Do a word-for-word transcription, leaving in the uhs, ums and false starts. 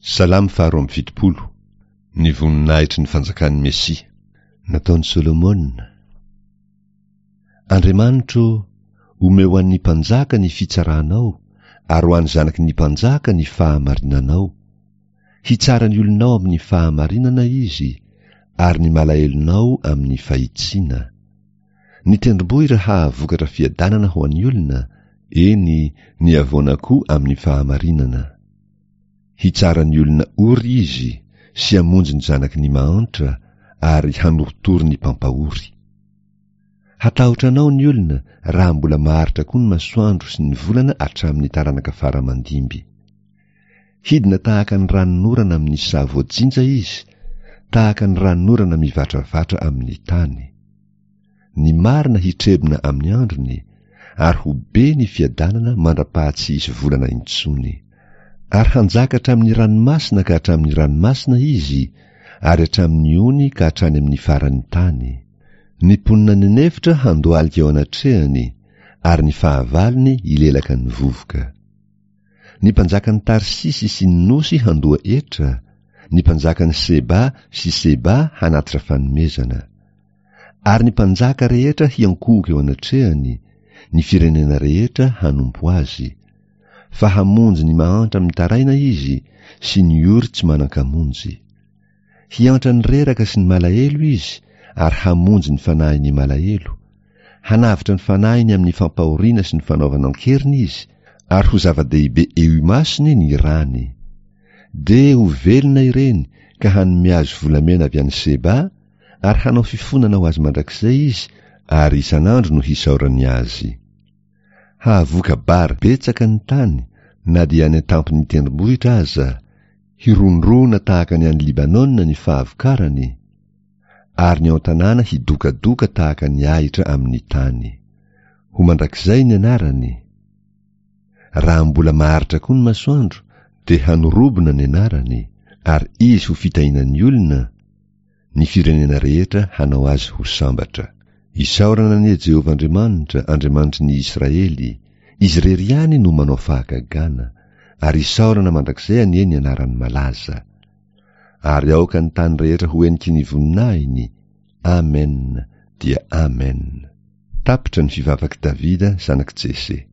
Salamo faharoa amby fitopolo. Ny voninahitry ny fanjakan'ny Mesia. Nataon'i Solomona. Andriamanitro, omeo ho an'ny mpanjaka ny fitsaranao, ary ho an'ny zanaky ny mpanjaka ny fahamarinanao. Hitsara ny olonao amin'ny fahamarinana izy, ary ny malahelonao amin'ny fahitsiana. Ny tendrombohitra hahavokatra fiadanana ho an'ny olona, eny, ny havoana koa amin'ny fahamarinana. Hitsara ny olona ory izy, sy hamonjy ny zanaky ny mahantra, ary hanorotoro ny mpampahory. Hatahotra anao ny olona raha mbola maharitra koa ny masoandro sy ny volana hatramin'ny taranaka fara mandimby. Hidina tahaka ny ranonorana amin'ny saha voajinja izy, tahaka ny ranonorana mivatravatra amin'ny tany. Ny marina hitrebona amin'ny androny, ary ho be ny fiadanana mandra-paha-tsy hisy volana intsony. Ary hanjaka hatramin'ny ranomasina ka hatramin'ny ranomasina izy, ary hatramin'ny ony ka hatrany amin'ny faran'ny tany. Ny mponina any an'efitra handohalika eo anatrehany, ary ny fahavalony hilelaka ny vovoka. Ny mpanjakan'i Tarsisy sy ny nosy handoa hetra, ny mpanjakan'i Seba sy Seba hanatitra fanomezana. Ary ny mpanjaka rehetra hiankohoka eo anatrehany, ny firenena rehetra hanompo azy. Fa hamonjy ny mahantra mitaraina izy, sy ny ory tsy manan-kamonjy. Hiantra ny reraka sy ny malahelo izy, ary hamonjy ny fanahin'ny malahelo. Hanavotra ny fanahiny amin'ny fampahoriana sy ny fanaovana an-keriny izy, ary ho zava-dehibe eo imasony ny rany. Dia ho velona ireny ka hanome azy volamena avy any Seba, ary hanao fifonana ho azy mandrakizay izy, ary isan'andro no hisaorany azy. Hahavoka-bary betsaka ny tany, na dia any an-tampon'ny tendrombohitra aza, hirondrona tahaka ny any Libanona ny fahavokarany, ary ny ao an-tanàna hidokadoka tahaka ny ahitra amin'ny tany. Ho mandrakizay ny anarany. Raha mbola maharitra koa ny masoandro, dia hanorobona ny anarany, ary izy ho fitahiana ny olona, ny firenena rehetra hanao azy ho sambatra. Isaorana anie Jehovah Andriamanitra, Andriamanitry ny Israely, izy irery ihany no manao fahagagana, ary isaorana mandrakizay anie ny anarany malaza. Ary aoka ny tany rehetra ho heniky ny voninahiny. Amen dia Amen. Tapitra ny fivavak'i Davida zanak'i Jese.